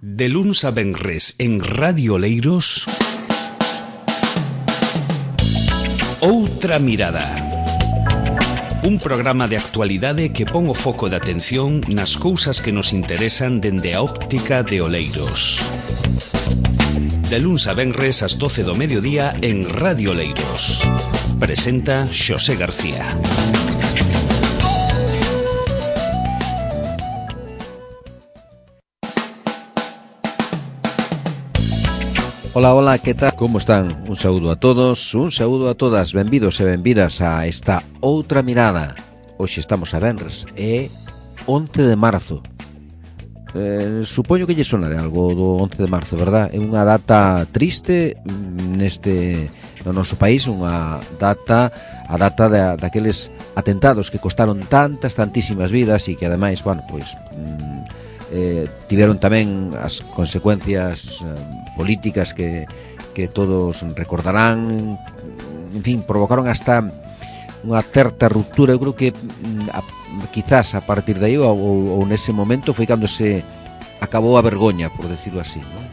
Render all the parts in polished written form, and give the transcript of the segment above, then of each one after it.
De luns a venres en Radio Oleiros, Outra Mirada. Un programa de actualidade que pon o foco de atención nas cousas que nos interesan dende a óptica de Oleiros. De luns a venres ás 12 do mediodía en Radio Oleiros. Presenta Xosé García. Hola, hola, que tal? Como están? Un saúdo a todos, un saúdo a todas. Benvidos e benvidas a esta Outra Mirada. Hoxe estamos a venres, é 11 de marzo. Supoño que lle sonará algo do 11 de marzo, verdad? É unha data triste no noso país, unha data, a data daqueles atentados que costaron tantísimas vidas e que ademais, bueno, pois tiveron tamén as consecuencias políticas que todos recordarán. En fin, provocaron hasta unha certa ruptura. Eu creo que quizás a partir de aí ou nese momento foi cando se acabou a vergoña, por decirlo así, ¿no?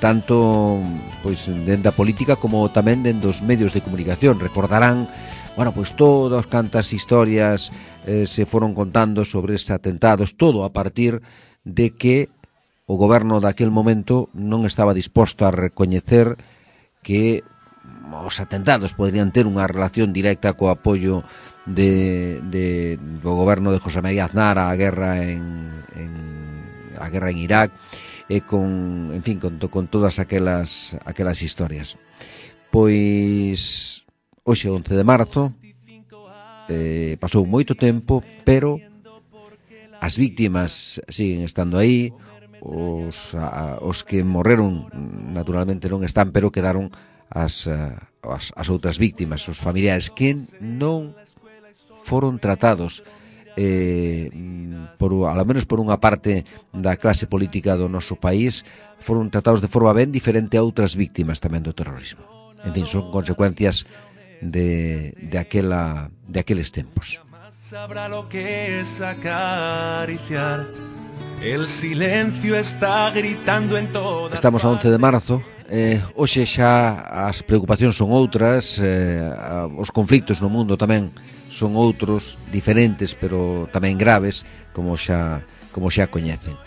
Tanto pois dende a política como tamén dende os medios de comunicación. Recordarán, bueno, pois todas cantas historias se foron contando sobre estes atentados, todo a partir de que o goberno daquel momento non estaba disposto a recoñecer que os atentados poderían ter unha relación directa co apoio do goberno de José María Aznar á guerra en Irak, e con todas aquelas historias. Pois hoxe 11 de marzo, pasou moito tempo, pero as víctimas siguen estando aí. Os que morreron naturalmente non están, pero quedaron as outras víctimas, os familiares que non foron tratados ao menos por unha parte da clase política do noso país, foron tratados de forma ben diferente a outras víctimas tamén do terrorismo. En fin, son consecuencias de aqueles tempos. Sabrá lo que es acariciar. El silencio está gritando en todas. Estamos a 11 de marzo. Hoxe xa as preocupacións son outras, os conflictos no mundo tamén son outros, diferentes, pero tamén graves, como xa coñecen.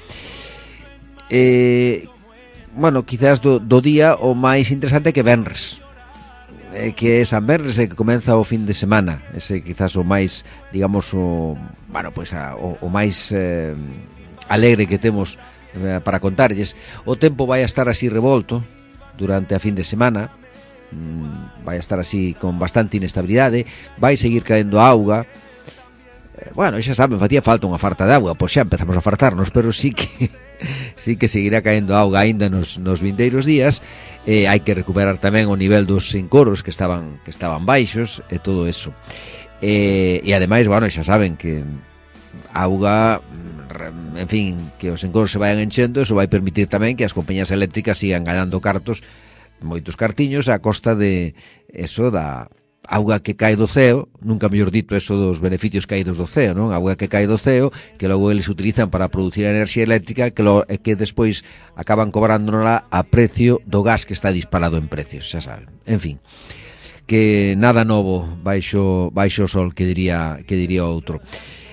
Bueno, quizás do día o máis interesante é que venres, que é San Venres, que comeza o fin de semana. Ese quizás o máis, digamos, o máis alegre que temos para contarlles. O tempo vai a estar así revolto durante a fin de semana, vai a estar así con bastante inestabilidade, vai seguir caendo auga. Bueno, xa saben, facía falta unha farta de auga, pois xa empezamos a fartarnos, pero sí que seguirá caendo auga aínda nos vindeiros días. Hai que recuperar tamén o nivel dos encoros que estaban baixos e todo eso. E ademais, bueno, xa saben que auga, en fin, que os encoros se vayan enchendo, eso vai permitir tamén que as compañías eléctricas sigan ganando moitos cartiños a costa de eso, da auga que cae do ceo, nunca mellor dito eso dos beneficios caídos do ceo, non? Auga que cae do ceo, que logo eles utilizan para producir enerxía eléctrica, que despois acaban cobrándola a precio do gas que está disparado en precios, xa saben. En fin, que nada novo baixo o sol, que diría outro.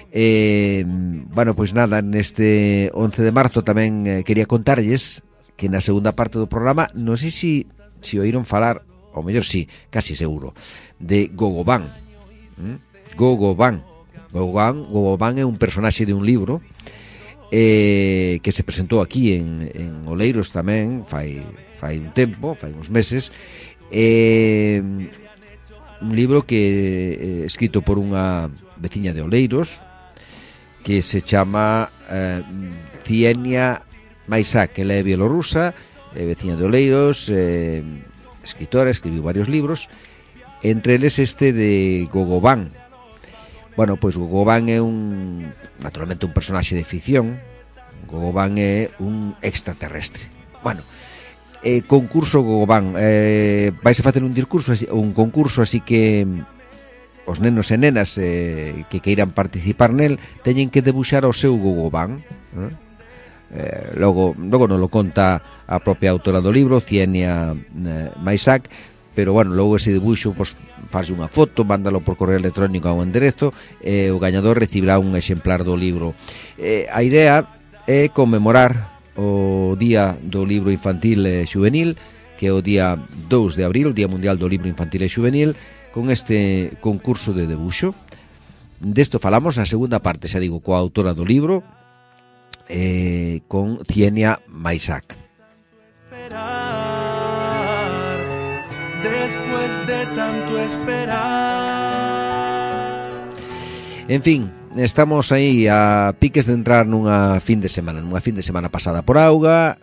Bueno, pois nada, neste 11 de marzo tamén quería contarlles que na segunda parte do programa, non sei se oíron falar, ou mellor sí, casi seguro, de Gogobán. Gogobán é un personaxe de un libro que se presentou aquí en Oleiros tamén fai un tempo, fai uns meses. Un libro que escrito por unha veciña de Oleiros que se chama Ksienia Maisák. Ela é bielorrusa, veciña de Oleiros, escritora, escribiu varios libros, entre eles este de Gogobán. Bueno, pois Gogobán é naturalmente un personaxe de ficción. Gogobán é un extraterrestre. Bueno, concurso Gogobán, vaise facer un concurso, así que os nenos e nenas que queiran participar nel teñen que debuxar o seu Gogobán, Logo non lo conta a propia autora do libro, Cienia Maisac, pero bueno, logo ese debuxo pois, faz unha foto, mándalo por correo electrónico a un enderezo e o gañador recibirá un exemplar do libro. A idea é conmemorar o Día do Libro Infantil e Xuvenil, que é o día 2 de abril, o Día Mundial do Libro Infantil e Xuvenil, con este concurso de debuxo. Desto falamos na segunda parte, xa digo, coa autora do libro, con Cienia Maisac. Después de tanto esperar. En fin, estamos aí a piques de entrar nunha fin de semana pasada por auga.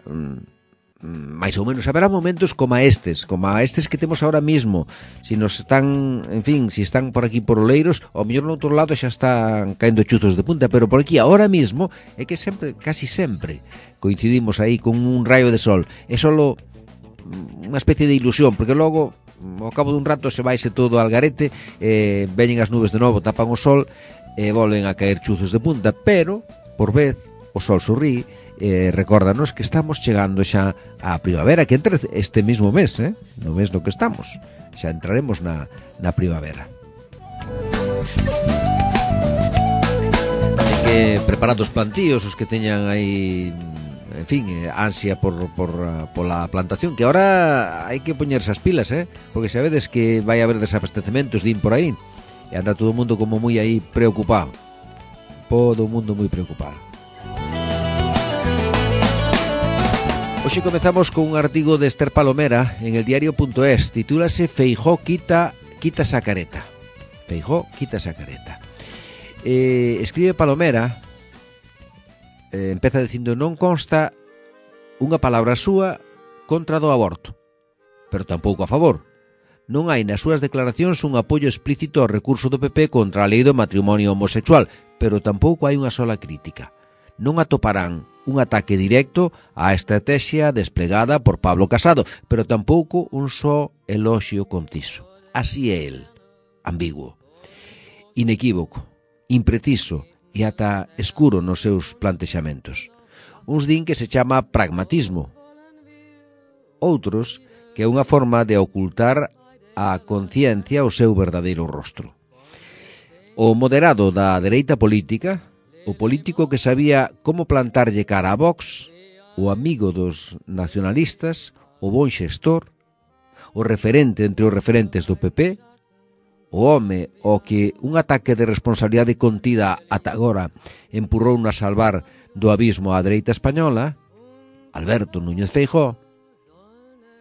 Mais ou menos haberá momentos como estes que temos ahora mismo. Si nos están, en fin, si están por aquí por Oleiros, ao mellor no outro lado xa están caendo chuzos de punta, pero por aquí ahora mismo é que sempre, casi sempre coincidimos aí con un rayo de sol. É solo unha especie de ilusión, porque logo ao cabo dun rato se vaise todo al garete, veñen as nubes de novo, tapan o sol e volven a caer chuzos de punta, pero por vez o sol sorrí, recórdanos que estamos chegando xa á primavera, que entre este mismo mes, no mes no que estamos, xa entraremos na primavera. Así que preparad os plantíos, os que teñan aí, en fin, ansia pola plantación, que ahora hai que poñerse as pilas, porque xa vedes que vai haber desabastecementos, din por aí, e anda todo o mundo como moi aí preocupado, todo o mundo moi preocupado. Hoxe comezamos con un artigo de Esther Palomera en el diario.es. Titúlase Feijóo quita esa careta. Feijóo quita esa careta. Escribe Palomera, empeza dicindo: non consta unha palabra súa contra do aborto, pero tampouco a favor. Non hai nas súas declaracións un apoio explícito ao recurso do PP contra a lei do matrimonio homosexual, pero tampouco hai unha sola crítica. Non atoparán un ataque directo á estrategia desplegada por Pablo Casado, pero tampouco un só eloxio conciso. Así é el, ambiguo, inequívoco, impreciso e ata escuro nos seus plantexamentos. Uns din que se chama pragmatismo, outros que é unha forma de ocultar a conciencia o seu verdadeiro rostro. O moderado da dereita política, o político que sabía como plantarlle cara a Vox, o amigo dos nacionalistas, o bon xestor, o referente entre os referentes do PP, o home ao que un ataque de responsabilidade contida ata agora empurrou a salvar do abismo á dereita española, Alberto Núñez Feijóo.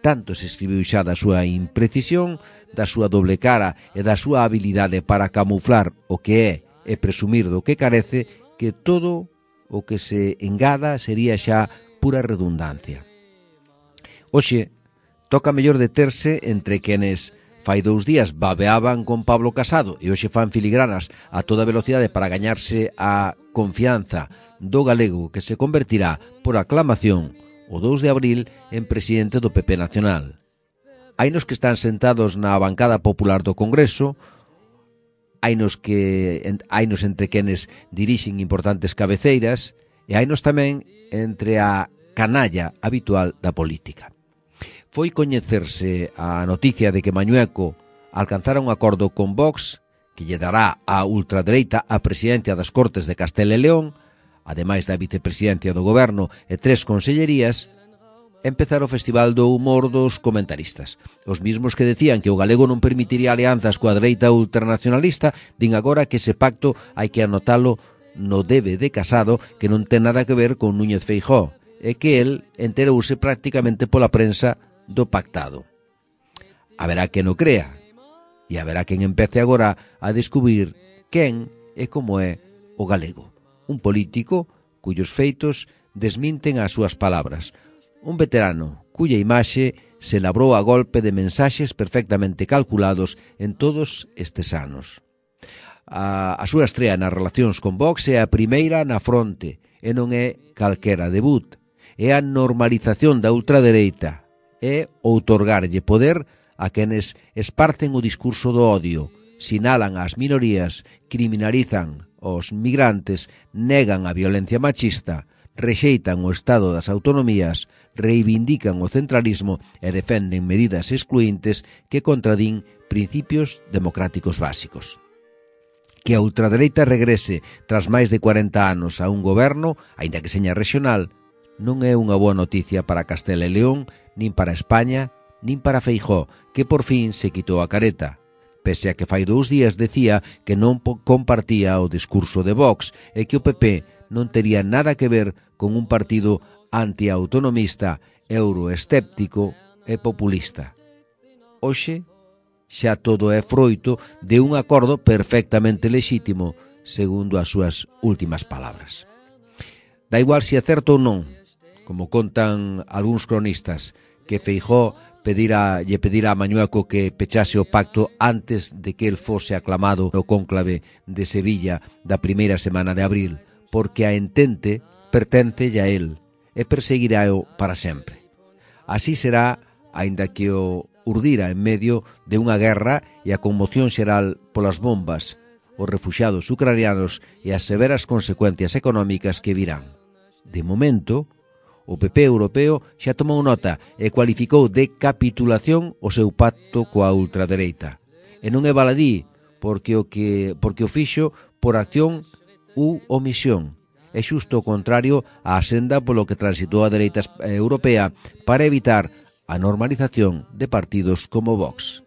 Tanto se escribiu xa da súa imprecisión, da súa doble cara e da súa habilidade para camuflar o que é e presumir do que carece, que todo o que se engada sería xa pura redundancia. Hoxe, toca mellor deterse entre quenes fai 2 días babeaban con Pablo Casado e hoxe fan filigranas a toda velocidade para gañarse a confianza do galego que se convertirá por aclamación o 2 de abril en presidente do PP Nacional. Hainos que están sentados na bancada popular do Congreso, hainos entre quenes dirixen importantes cabeceiras e hainos tamén entre a canalla habitual da política. Foi coñecerse a noticia de que Mañueco alcanzara un acordo con Vox que lle dará á ultradereita a presidencia das Cortes de Castela e León, ademais da vicepresidencia do Goberno e 3 consellerías, empezar o Festival do Humor dos comentaristas. Os mismos que decían que o galego non permitiría alianzas coa dereita ultranacionalista, din agora que ese pacto hai que anotalo no debe de Casado, que non ten nada que ver con Núñez Feijóo, e que el enterouse prácticamente pola prensa do pactado. Haberá quen o crea, e haberá quen empece agora a descubrir quen e como é o galego. Un político cuyos feitos desminten as súas palabras. Un veterano cuya imaxe se labrou a golpe de mensaxes perfectamente calculados en todos estes anos. A súa estrea nas relacións con Vox é a primeira na fronte e non é calquera debut. É a normalización da ultradereita, é outorgarlle poder a quenes esparcen o discurso do odio, sinalan as minorías, criminalizan os migrantes, negan a violencia machista, rexeitan o estado das autonomías, reivindican o centralismo e defenden medidas excluintes que contradín principios democráticos básicos. Que a ultradereita regrese tras máis de 40 anos a un goberno, aínda que seña regional, non é unha boa noticia para Castela e León, nin para España, nin para Feijóo, que por fin se quitou a careta, pese a que fai 2 días decía que non compartía o discurso de Vox e que o PP non tería nada que ver con un partido antiautonomista, euroescéptico e populista. Hoxe, xa todo é froito de un acordo perfectamente lexítimo, segundo as súas últimas palabras. Da igual se é certo ou non, como contan algúns cronistas, que Feijóo lle pedirá a Mañueco que pechase o pacto antes de que el fose aclamado no cónclave de Sevilla da primeira semana de abril, porque a entente perténcelle a él e perseguirá-o para sempre. Así será, aínda que o urdira en medio de unha guerra e a conmoción xeral polas bombas, os refuxiados ucranianos e as severas consecuencias económicas que virán. De momento, o PP europeo xa tomou nota e cualificou de capitulación o seu pacto coa ultradereita. E non é baladí, porque o fixo por acción ou omisión. É xusto o contrario á senda polo que transitou a dereita europea para evitar a normalización de partidos como Vox.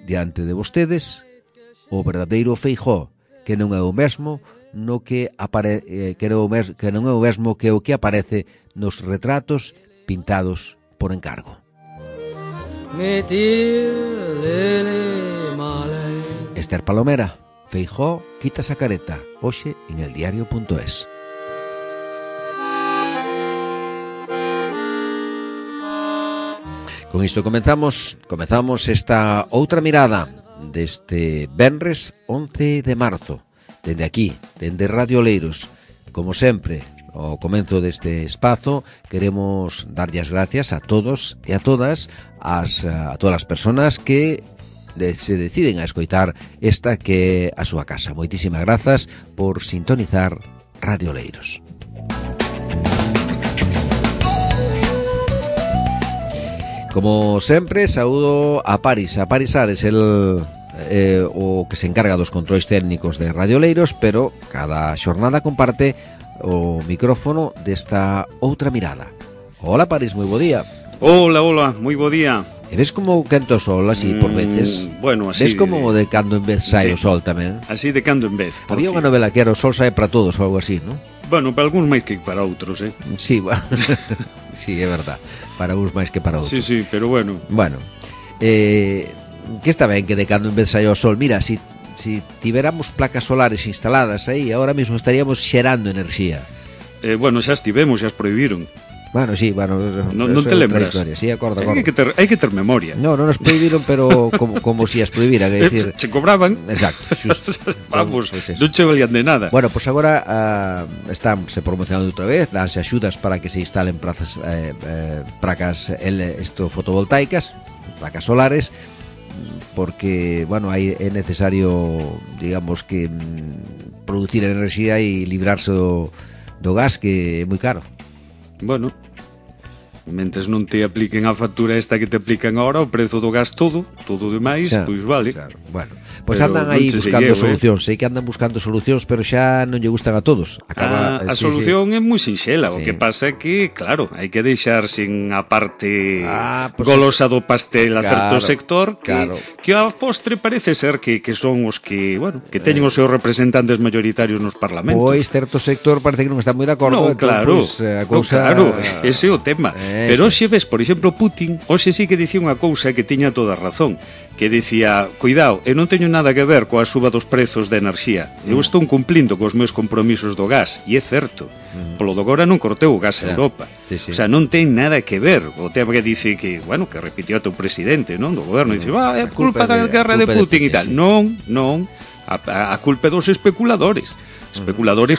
Diante de vostedes, o verdadeiro Feijóo, que non é o mesmo que non é o mesmo que o que aparece nos retratos pintados por encargo. Esther Palomera, Feijóo quita a careta, hoxe en eldiario.es. Con isto comezamos esta outra mirada deste venres 11 de marzo. Dende aquí, dende Radio Oleiros. Como sempre, ao comenzo deste espazo, queremos darlle as gracias a todos e a todas a todas as persoas que se deciden a escoitar esta que é a súa casa. Moitísimas grazas por sintonizar Radio Oleiros. Como sempre, saúdo a Paris Ares, o que se encarga dos controis técnicos de Radio Oleiros, pero cada xornada comparte o micrófono desta outra mirada. Hola Paris, moi bo día. Hola, moi bo día. E ves como quento o sol así por veces? Bueno, así. Ves como de cando en vez sai o sol tamén? Así de cando en vez. Había unha novela que era o sol sae para todos ou algo así, non? Bueno, para algúns máis que para outros, Sí, bueno. Sí, é verdad. Para uns máis que para outros. Sí, pero bueno. Bueno, que está ben que de cando en vez saia o sol. Mira, si tiveramos placas solares instaladas aí, ahora mesmo estaríamos xerando enerxía. Bueno, xa estivemos, xa as prohibiron. Bueno, sí, non te lembras. Sí, acordo. Hai que ter memoria. No, non nos prohibiron, pero como si as prohibiran, é dicir, se cobraban. Exacto, xusto. Vamos, non che valían de nada. Bueno, pues agora están se promocionando outra vez, danse axudas para que se instalen placas fotovoltaicas, placas solares, porque, bueno, é necesario, digamos, que producir enerxía e librarse do gas, que é moi caro. Bueno, mentes non te apliquen a factura esta que te aplican agora, o prezo do gas todo demais, pois vale. Claro. Bueno, pois andan aí buscando solucións, sei que andan buscando solucións, pero xa non lle gustan a todos. A solución é moi sinxela, o que pasa é que, claro, hai que deixar sin a parte golosa do pastel a certo sector, que a postre parece ser que son os que, bueno, que teñen os seus representantes mayoritarios nos parlamentos. Pois certo sector parece que non está moi de acordo. No, claro, ese é o tema. Pero hoxe ves, por exemplo, Putin, hoxe sí que dicía unha cousa que tiña toda a razón, que dicía, cuidado, eu non teño nada que ver coa suba dos prezos de enerxía, eu estou cumplindo cos meus compromisos do gas, e é certo, polo do agora non corteu o gas a Europa, o sea, non ten nada que ver, o tema que dice que, bueno, que repitió o teu presidente, non, do goberno, dice, é culpa da guerra de Putin e tal, non, a culpa dos especuladores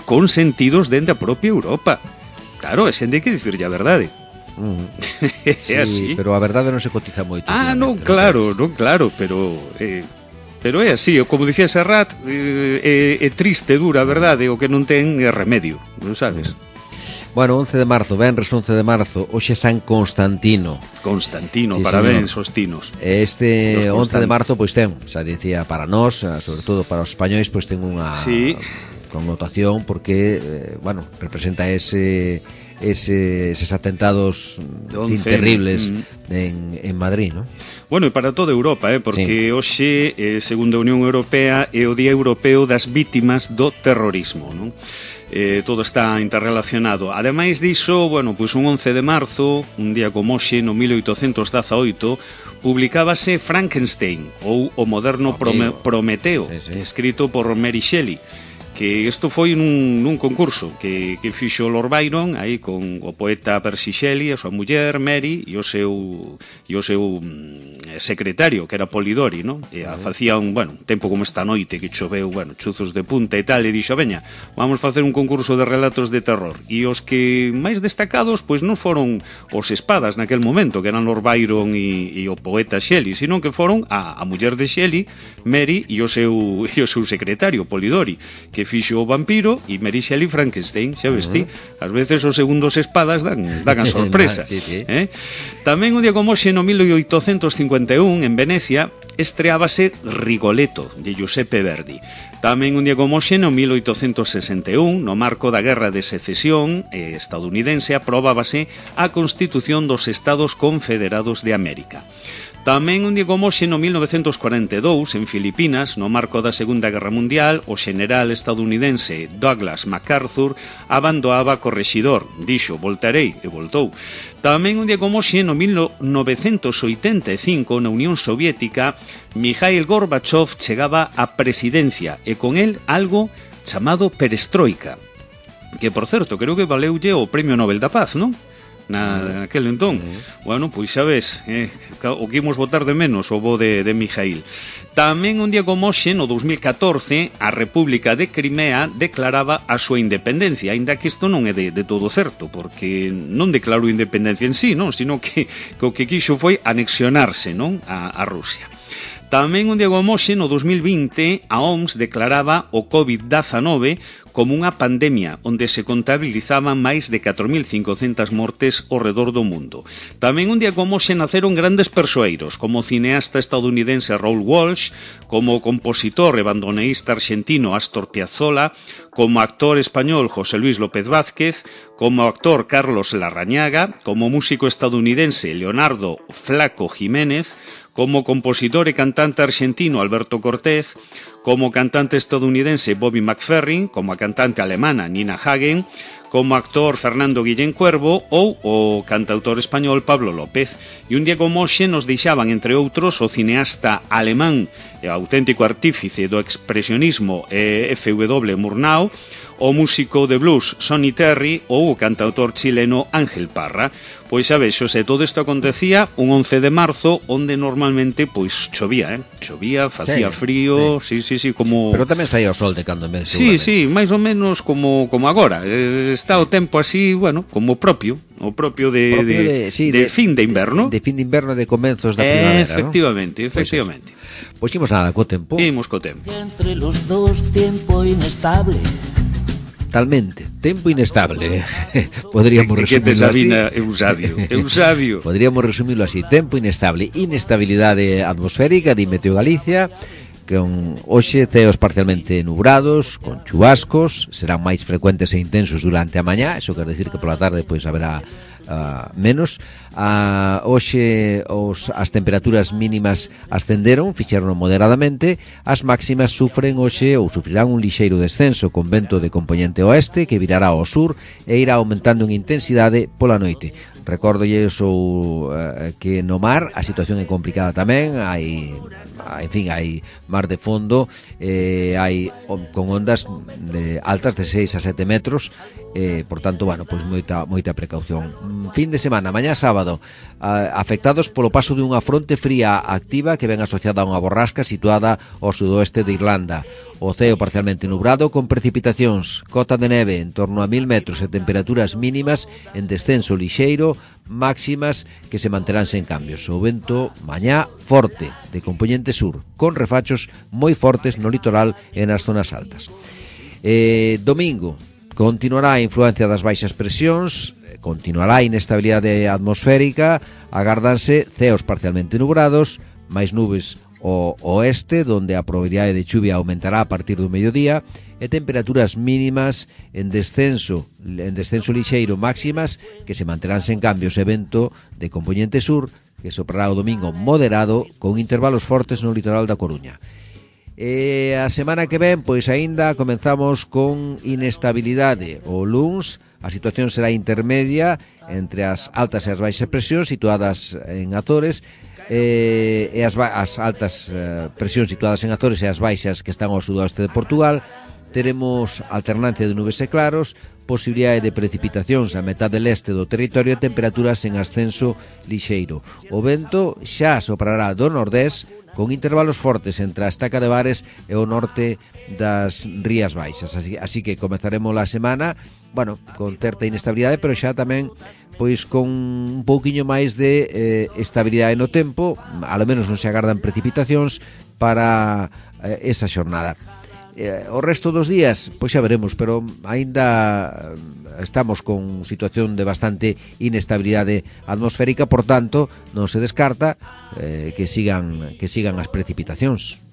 consentidos dende a propia Europa, claro, é xente que dicirlle a verdade. Sí, así. Pero a verdade non se cotiza moito. Non, claro, pero é así, como dicía Serrat, é triste, dura a verdade, o que non ten remedio, non sabes? Bueno, 11 de marzo, venres 11 de marzo, hoxe San Constantino. Constantino, sí, parabéns aos tinos. Este 11 de marzo, pois ten, xa dicía, para nós, sobre todo para os españois, pois ten unha connotación porque, bueno, representa eses atentados terribles en Madrid, ¿no? Bueno, e para toda Europa, porque hoxe, segundo a Unión Europea, é o Día Europeo das Vítimas do Terrorismo, non? Todo está interrelacionado. Ademais diso, bueno, pois un 11 de marzo, un día como hoxe, no 1818, publicábase Frankenstein, ou o moderno Prometeo, escrito por Mary Shelley, que isto foi nun concurso que fixo Lord Byron aí con o poeta Percy Shelley, a súa muller Mary e o seu secretario, que era Polidori, non? E facía un tempo como esta noite que choveu, chuzos de punta e tal, e dixo, veña, vamos facer un concurso de relatos de terror. E os que máis destacados, pois non foron os espadas naquel momento, que eran Lord Byron e o poeta Shelley, sino que foron a muller de Shelley, Mary, e o seu secretario, Polidori, que fixo o vampiro e Mary Shelley Frankenstein, xa vesti? Ás veces os segundos espadas dan a sorpresa. Sí. Tamén un día como hoxe, no 1851, en Venecia, estreábase Rigoletto, de Giuseppe Verdi. Tamén un día como hoxe, no 1861, no marco da Guerra de Secesión estadounidense, aprobábase a Constitución dos Estados Confederados de América. Tamén un día como hoxe, no 1942, en Filipinas, no marco da Segunda Guerra Mundial, o xeneral estadounidense Douglas MacArthur abandoaba correxidor, dixo, voltarei, e voltou. Tamén un día como hoxe, no 1985, na Unión Soviética, Mikhail Gorbachev chegaba á presidencia, e con el algo chamado perestroika, que, por certo, creo que valeulle o Premio Nobel da Paz, non? Naquele entón. Bueno, pois xa ves, o que imos votar de menos o bo de Mijail. Tamén un día como hoxe, no 2014, a República de Crimea declaraba a súa independencia, aínda que isto non é de todo certo, porque non declarou independencia en sí, non, sino que o que quixo foi anexionarse, non, a Rusia. Tamén un día como hoxe, no 2020, a OMS declaraba o COVID-19 como unha pandemia onde se contabilizaban máis de 4.500 mortes ao redor do mundo. Tamén un día como hoxe naceron grandes persoeiros, como o cineasta estadounidense Raoul Walsh, como o compositor e bandoneísta arxentino Astor Piazzolla, como actor español José Luis López Vázquez, como actor Carlos Larrañaga, como músico estadounidense Leonardo Flaco Jiménez, como compositor e cantante arxentino Alberto Cortés, como cantante estadounidense Bobby McFerrin, como a cantante alemana Nina Hagen, como actor Fernando Guillén Cuervo ou o cantautor español Pablo López. E un día como hoxe nos deixaban, entre outros, o cineasta alemán e auténtico artífice do expresionismo F.W. Murnau, o músico de blues Sonny Terry ou o cantautor chileno Ángel Parra. Pois xa vexo, todo isto acontecía un 11 de marzo, onde normalmente pois chovía, facía frío, sí, como... Pero tamén saía o sol de cando en vez. Sí, máis ou menos como agora. Está o tempo así, bueno, como propio de fin de inverno. De fin de inverno, de comenzos da primavera, efectivamente. Pois imos nada, co tempo. Imos co tempo. Entre los dos, tiempo inestable. Totalmente, tempo inestable. Podríamos resumirlo así. Eusabio. Podríamos resumirlo así, tempo inestable, inestabilidade atmosférica, di Meteo Galicia, con hoxe ceos parcialmente nubrados, con chubascos, serán máis frecuentes e intensos durante a mañá, eso quer decir que pola tarde pois haberá menos. Hoxe as temperaturas mínimas ascenderon, fixeron moderadamente, as máximas sufren hoxe ou sufrirán un lixeiro descenso con vento de compoñente oeste que virará ao sur e irá aumentando en intensidade pola noite. Recórdolle que no mar a situación é complicada tamén, hai mar de fondo, hai con ondas altas de 6 a 7 metros, por tanto, bueno, pois moita precaución. Fin de semana, mañá sábado, afectados polo paso de unha fronte fría activa que ven asociada a unha borrasca situada ao sudoeste de Irlanda. O ceo parcialmente nublado con precipitacións, cota de neve en torno a 1000 metros e temperaturas mínimas en descenso lixeiro, máximas que se manterán sen cambios. O vento mañá forte de compoñente sur, con refachos moi fortes no litoral e nas zonas altas. Domingo, Continuará a influencia das baixas presións, continuará a inestabilidade atmosférica, agárdanse ceos parcialmente nubrados, máis nubes ao oeste, donde a probabilidade de chuvia aumentará a partir do mediodía, e temperaturas mínimas en descenso lixeiro máximas que se manterán sen cambios, e vento de compoñente sur que soprará o domingo moderado con intervalos fortes no litoral da Coruña. E a semana que ven, pois aínda comenzamos con inestabilidade. O luns a situación será intermedia entre as altas e as baixas presións situadas en Azores, e as altas presións situadas en Azores e as baixas que están ao sudoeste de Portugal. Teremos alternancia de nubes e claros, posibilidade de precipitacións a metade leste do territorio e temperaturas en ascenso lixeiro. O vento xa soprará do nordés con intervalos fortes entre a Estaca de Bares e o norte das Rías Baixas. Así que comezaremos a semana, bueno, con certa inestabilidade, pero xa tamén pois con un pouquiño máis de estabilidade no tempo. Ao menos non se agardan precipitacións para esa xornada. O resto dos días, pois xa veremos, pero aínda estamos con situación de bastante inestabilidade atmosférica, por tanto, non se descarta que sigan as precipitacións.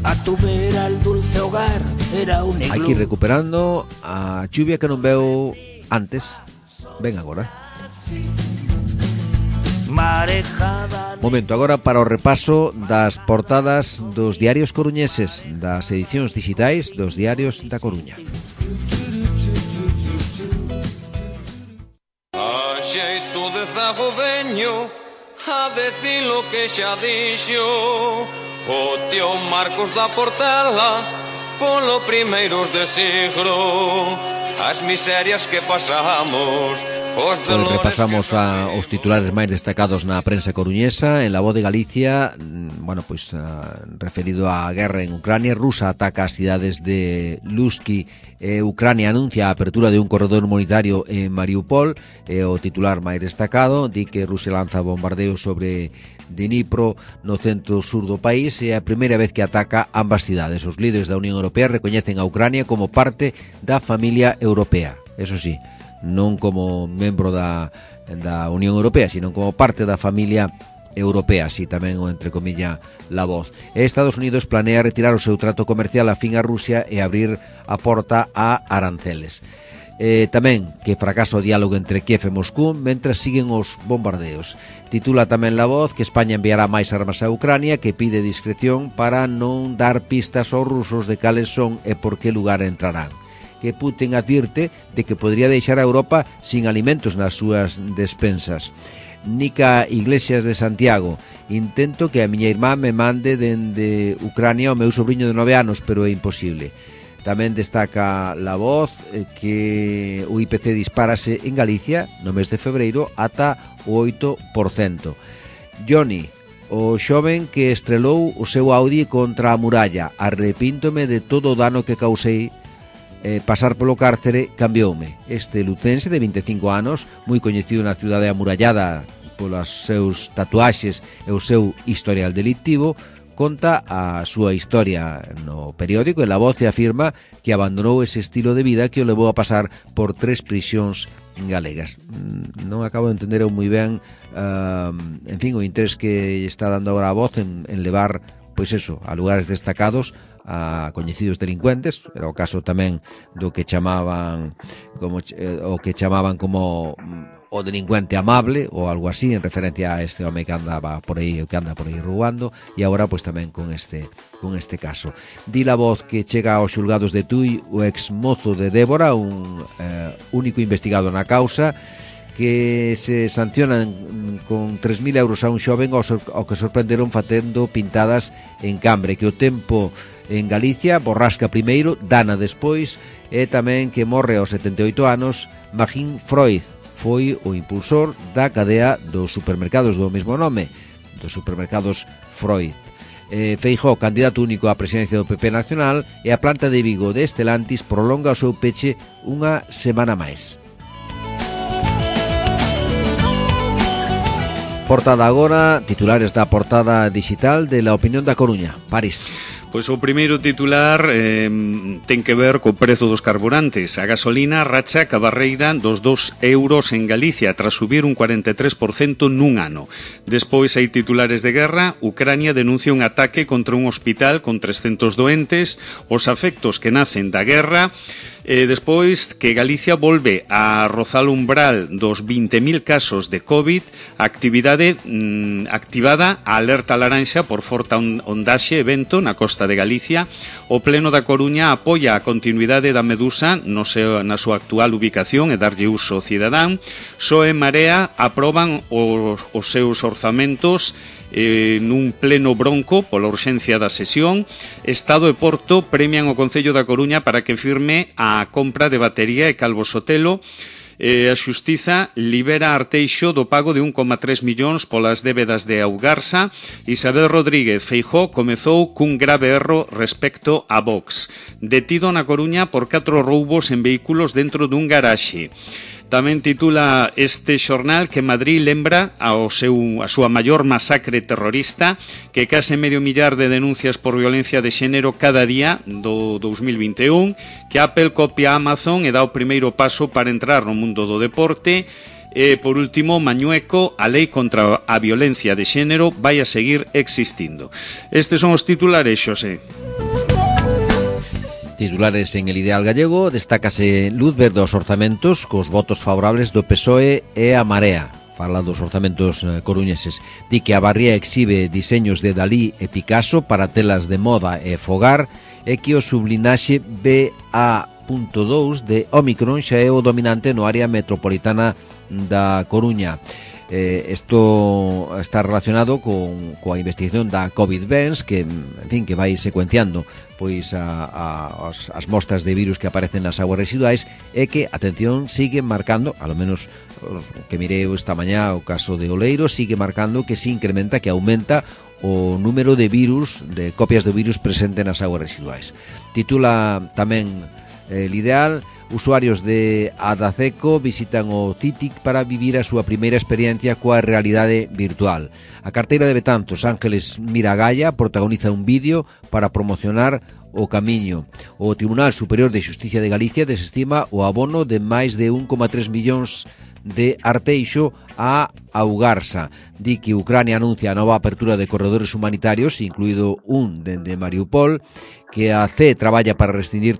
A tu vera el dulce hogar era un iglú. Aquí recuperando a chuvia que non veo antes, ven agora. Momento agora para o repaso das portadas dos diarios coruñeses, das edicións digitais dos diarios da Coruña. A xeito de zago veño a decir lo que xa dixo o tío Marcos da Portela polo primeiros de siglo, as miserias que pasamos. Pois repasamos os titulares máis destacados na prensa coruñesa. En La Voz de Galicia, bueno, pois referido á guerra en Ucrania, Rusia ataca as cidades de Lutsk e Ucrania anuncia a apertura de un corredor humanitario en Mariupol. O titular máis destacado di que Rusia lanza bombardeos sobre Dnipro no centro sur do país e é a primeira vez que ataca ambas cidades. Os líderes da Unión Europea recoñecen a Ucrania como parte da familia europea, eso sí, non como membro da Unión Europea, sino como parte da familia europea, así tamén o entrecomilla La Voz. Estados Unidos planea retirar o seu trato comercial afín a Rusia e abrir a porta a aranceles. Tamén que fracasa o diálogo entre Kiev e Moscú mentre siguen os bombardeos. Titula tamén La Voz que España enviará máis armas a Ucrania, que pide discreción para non dar pistas aos rusos de cales son e por que lugar entrarán. Que Putin advirte de que podría deixar a Europa sin alimentos nas súas despensas. Nica Iglesias de Santiago: intento que a miña irmá me mande dende Ucrania o meu sobrinho de 9 anos, pero é imposible. Tamén destaca La Voz que o IPC dispárase en Galicia no mes de febreiro ata o 8%. Johnny, o xoven que estrelou o seu Audi contra a muralla: arrepíntome de todo o dano que causei. Pasar polo cárcere cambioume. Este lucense de 25 anos, moi coñecido na cidade amurallada polos seus tatuaxes e o seu historial delictivo, conta a súa historia no periódico e La Voz e afirma que abandonou ese estilo de vida que o levou a pasar por 3 prisións galegas. Non acabo de entender moi ben en fin, o interés que está dando agora a Voz en levar, pois eso, a lugares destacados a coñecidos delincuentes. Era o caso tamén do que chamaban como o delincuente amable ou algo así, en referencia a este home que andaba por aí, que anda por aí roubando, e agora pois tamén con este caso. Di La Voz que chega aos xulgados de Tui o exmozo de Débora, un único investigado na causa, que se sancionan con 3.000 euros a un xoven ao que sorprenderon facendo pintadas en Cambre, que o tempo en Galicia borrasca primeiro, dana despois, e tamén que morre aos 78 anos Magín Freud, foi o impulsor da cadea dos supermercados do mesmo nome, dos supermercados Freud. Feijóo, candidato único á presidencia do PP nacional, e a planta de Vigo de Estelantis prolonga o seu peche unha semana máis. Portada agora, titulares da portada digital de La Opinión da Coruña. París. Pois o primeiro titular ten que ver co prezo dos carburantes. A gasolina racha ca barreira dos 2 euros en Galicia tras subir un 43% nun ano. Despois hai titulares de guerra. Ucrania denuncia un ataque contra un hospital con 300 doentes, os afectos que nacen da guerra. Despois que Galicia volve a rozar o umbral dos 20.000 casos de COVID, actividade activada a alerta laranxa por forte ondaxe e vento na costa de Galicia. O Pleno da Coruña apoia a continuidade da Medusa na súa actual ubicación e darlle uso cidadán. PSOE e Marea aproban os seus orzamentos nun pleno bronco pola urxencia da sesión. Estado e Porto premian o Concello da Coruña para que firme a compra de batería e Calvo Sotelo. A Xustiza libera a Arteixo do pago de 1,3 millóns polas débedas de Augarsa. Isabel Rodríguez Feijóo comezou cun grave erro respecto a Vox. Detido na Coruña por 4 roubos en vehículos dentro dun garaxe. Tamén titula este xornal que Madrid lembra a súa maior masacre terrorista, que case medio millar de denuncias por violencia de xénero cada día do 2021, que Apple copia a Amazon e dá o primeiro paso para entrar no mundo do deporte. E, por último, Mañueco, a lei contra a violencia de xénero vai a seguir existindo. Estes son os titulares, Xosé. Titulares en El Ideal Gallego, destácase luz verde aos orzamentos cos votos favorables do PSOE e a Marea. Fala dos orzamentos coruñeses. Di que a Barría exhibe diseños de Dalí e Picasso para telas de moda e fogar e que o sublinaxe BA.2 de Omicron xa é o dominante no área metropolitana da Coruña. Isto está relacionado coa investigación da COVID-19 que, en fin, que vai secuenciando pois as mostras de virus que aparecen nas aguas residuais e que, atención, sigue marcando, alo menos que mirei esta mañá o caso de Oleiro, sigue marcando que se incrementa, que aumenta o número de virus, de copias de virus presente nas aguas residuais. Titula tamén El Ideal: usuarios de Adaceco visitan o CITIC para vivir a súa primeira experiencia coa realidade virtual. A carteira de Betanzos, Ángeles Miragaya, protagoniza un vídeo para promocionar o camiño. O Tribunal Superior de Xusticia de Galicia desestima o abono de máis de 1,3 millóns de Arteixo a Augarsa. Di que Ucrania anuncia a nova apertura de corredores humanitarios, incluído un dende Mariupol, que a CE traballa para prescindir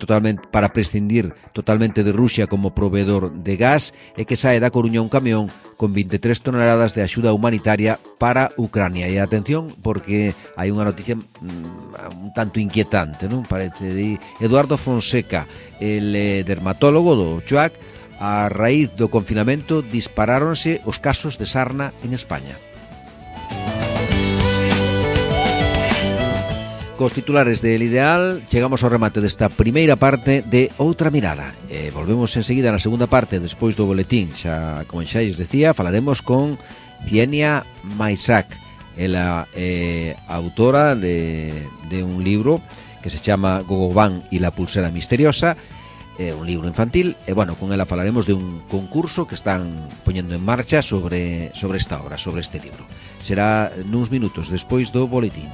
totalmente de Rusia como proveedor de gas e que sae da Coruña un camión con 23 toneladas de axuda humanitaria para Ucrania. E atención, porque hai unha noticia un tanto inquietante, non? Parece de Eduardo Fonseca, el dermatólogo do CHUAC. A raíz do confinamento disparáronse os casos de sarna en España. Cos titulares de El Ideal chegamos ao remate desta primeira parte de Outra Mirada. Volvemos enseguida na segunda parte, despois do boletín. Xa, como xa lles decía, falaremos con Cienia Maisac. Ela é autora de un libro que se chama Gogobán y la pulsera misteriosa. É un libro infantil e, bueno, con ela falaremos de un concurso que están poñendo en marcha sobre esta obra, sobre este libro. Será nuns minutos despois do boletín.